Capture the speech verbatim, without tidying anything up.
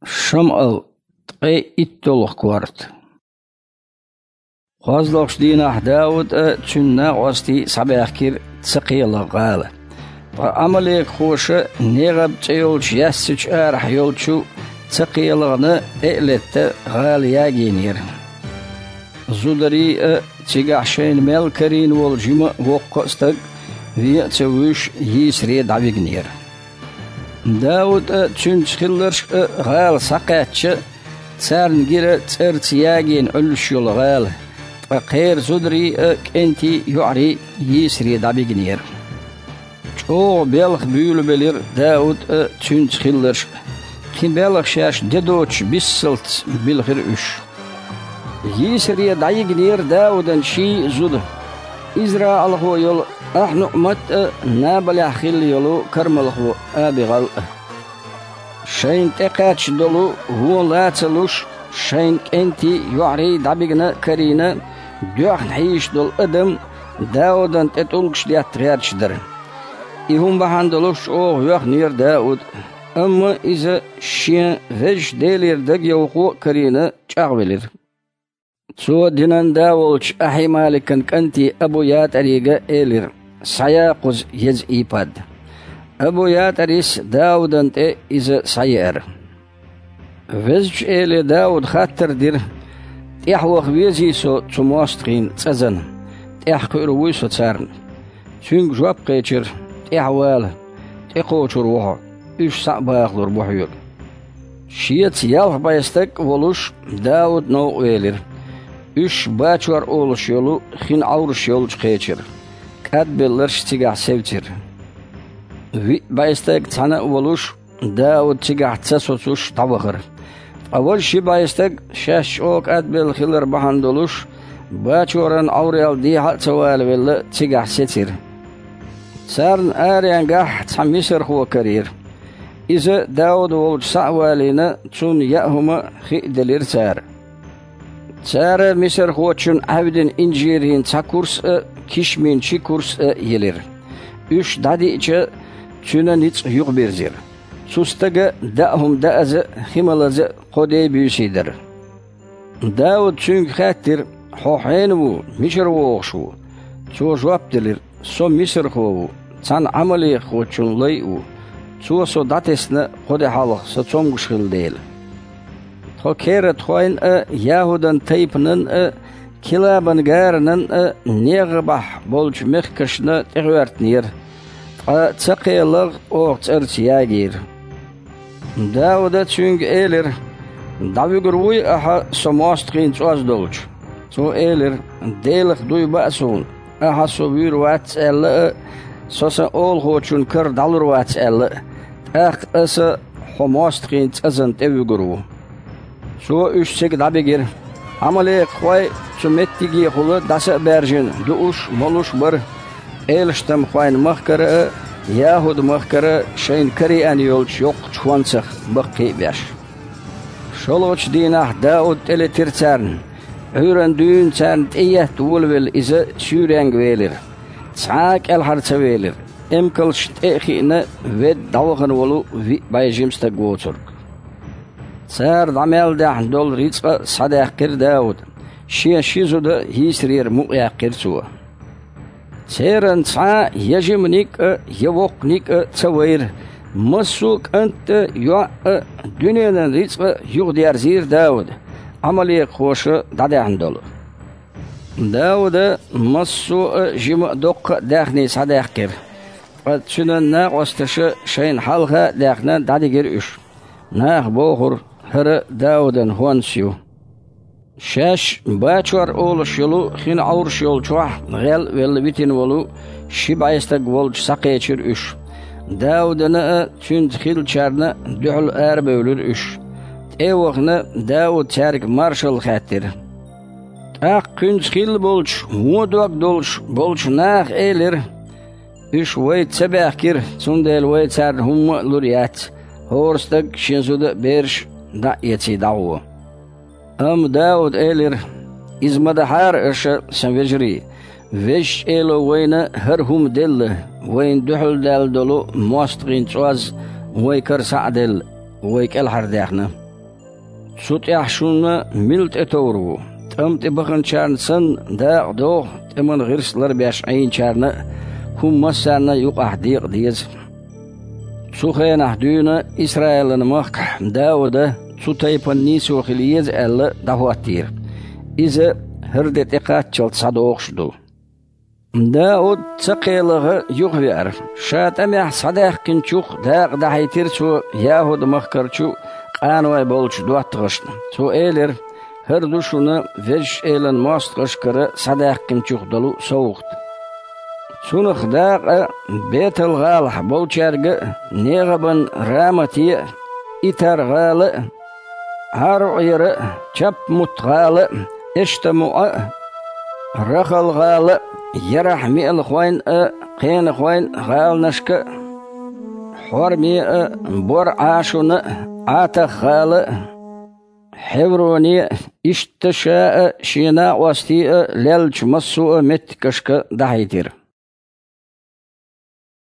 Шамъал, ткъе итталгӀа корта. КхозлагӀчу дийнахь Дауд а, цуьнан накъостий а схьабаьхкира ЦакхелагӀа-гӀала. Ткъа Ӏамалекхоша НегӀаб цӀе йолчу яьссачу арахь йолчу ЦакхелагӀана тӀе а летта, гӀала ягийнера. Зударий а, цигахь шайна мел карийна волу жима а воккха а стаг, вен а ца вуьйш, йийсаре дӀавигнера. Дауд а, цуьнца хилларш а гӀала схьакхаьчча, царна гира цӀарца ягийна Ӏуьллуш йолу гӀала, ткъа кхеран зударий а, кӀентий а, йоӀарий а йийсаре дӀабигнера. ЧӀогӀа белхан буьйлабелира Дауд а, цуьнца хилларш а. Кхин белхан шаьш де доцуш, биссалц билхира уьш. Йийсаре дӀайигнера Даудан ший а зуда: израилхо йолу АхьануӀмат а, Набалехь хилла йолу кармалхо АбигӀал а. Шайна тӀекхаьчна долу вон ла ца луш, шайна кӀентий а, йоӀарий а дӀабигна а карийна, доьхна хьийзаш долу адам Даудан тӀе тӀулгаш детта гӀерташ дара. И хӀума бахьана долуш чӀогӀа воьхнера Дауд, амма иза шен Везачу Делера дагайовхо а карийна, чӀагӀвелира. Цо динан да волчу Ахьималикан кӀанте Абу-ЯтӀарига элира: «Схьая кхуза еза ийпад». Абу-ЯтӀарис Даудан тӀе иза схьаеара. Везачу Эле Дауда хаттар дира: «ТӀаьхьа ваха везий со цу мостагӀийн цӀазана? ТӀаьхьакхуьур вуй со царна?» Цуьнга жоп кхечира: «ТӀаьхьавала, тӀекхочур ву хьо, уьш схьа а бахалур бу хьоьга». Шеца ялх бӀе стаг а волуш, Дауд новкъа велира. Уьш Бачор олуш йолу хин Ӏовраш йолчу кхечира. КӀадбелларш цигахь севцира. Виъ бӀе стаг цхьаьна а волуш, Дауд цигахь ца соцуш дӀавахара. Ткъа важа ши бӀе стаг, шаьш чӀогӀа кӀадбелла хилар бахьана долуш, Бачоран Ӏоврал дехьа а ца валавелла, цигахь сецира. Царна аренгахь цхьа мисархо карийра. Иза Дауда волчу схьа а валийна, цунна яа хӀума а, хи а делира цара. Цара мисархочунна Ӏаьвдина инжирийн цхьа курс а, кишмийн ши курс а елира. Уьш дӀадиъча, цуьнан ницкъ юхабирзира. Цу стага даа хӀума дааза а, хи малаза а кхо ден буьйсий дара. Дауд цуьнга хаьттира: «Хьо хьенан ву, мичара вогӀуш ву?» Цо жоп делира: «Со мисархо ву, цхьана Ӏамалекхочун лай а ву. Цо со дӀатесна кхо де хьалха, со цомгуш хилла дела. Тхо кератхойн а, ЯхӀудан тайпанан а, Килабан гаранан а, НегӀабахь болчу мехкашна тӀехӀоьртинера, ткъа ЦакхелагӀа оха цӀарца ягийра». Дауда цуьнга элира: «ДӀавуьгур вуй ахьа со мостагӀийн цӀоз долчу?» Цо элира: «Делах дуй баа суна, ахьа со вуьйр вац аьлла а, со сан олахочун кара дӀалур вац аьлла а, тӀаккха аса хьо мостагӀийн цӀазан тӀе вуьгур ву». Цо уьш цига дӀабигира. Ӏамалекхой цу меттигехула дӀаса а баьржина, дууш а, молуш а бара, пӀелаштамхойн махкара а, ЯхӀуд-махкара а шайна караеана йолчу йоккхачу хӀонсах баккхий а беш. ШолгӀачу дийнахь Дауд тӀелетира царна. Ӏуьйранна дуьйна царна тӀеетта волавелла иза суьйренга велира. Цхьа а кӀелхьара ца велира. Эмкалшна тӀе а хиъна, ведда дӀавахана волу виъ бӀе жима стаг воцург. Цара дӀа мел даьхьна долу рицкъа а схьадаьккхира Дауда, шен ши зуда а йийсарера мукъаяьккхира цо. Церан цхьа а я жиманиг а, я воккханиг а ца вайра, массо а кӀант а, йоӀ а, дуьненан рицкъа а юхадерзийра Дауда, Ӏамалекхоша дӀадаьхьна долу. Дауда массо а жима а, доккха а даьхний схьадаьккхира, ткъа цуьнан накъосташа шайна хьалха а даьхна, дӀадигира уьш. Наха бохура: «ХӀара Даудан хӀонс ю». Шаьш Бачор олуш йолу хин Ӏовраш йолчохь гӀел а велла витина волу ши бӀе стаг волчу схьакхечира уьш. Даудана а, цуьнца хиллачарна а дуьхьал арабевлира уьш. ТӀе а вахана, Дауд цаьрга маршалла хаьттира. ТӀаккха кхуьнца хилла болчу, вон дог долуш болчу наха элира: «Уьш вайца ца баьхкира, цундела вай царна хӀумма а лур яц, хӀора стаг шен зуда а, бераш а дӀа а эций дӀагӀо». Амма Дауда элира: «Иза ма дахьара аша, сан вежарий, Везачу Эло вайна хӀара хӀума делла, вайна дуьхьал даьлла долу мостагӀийн цӀоз вайн кара схьа а делла, вай кӀелхьардаьхна. Цу тӀехь шуна мила тӀетовр ву? ТӀам тӀе баханчарна санна, дакъа догӀу, тӀеман гӀирс ларбеш Ӏийначарна а, хӀума массарна а юкъахь декъа деза. Цу хенахь дуьйна Исраилан махкахь Дауда цу тайпана нийсо хила еза аьлла дӀахӀоттийра. Иза хӀара де тӀекхаччалц схьадогӀуш ду. Дауд ца кхелагӀа юхавеара. Ша тӀамехь схьадаьккхинчух дакъа дахьийтира цо ЯхӀуд-махкарчу къаной болчу доттагӀашна. Цо элира: «ХӀара ду шуна Везачу Элан мостагӀашкара схьадаьккхинчух долу совгӀат». Цунах дакъа Бетал-гӀалахь болчаьрга а, НегӀабан Рамате а, Итар-гӀала а, Ӏаруъера а, Чапмут-гӀала а, ЭштамуӀа а, Рахал-гӀала а, Ярахь-меалхойн а, Кхенахойн а гӀаланашка а, Хьорме а, Бор-Ӏашуна а, Ӏатах-гӀала а, Хьевроне а, иштта ша а, шен накъостий а леллачу массо а меттигашка дахьийтира.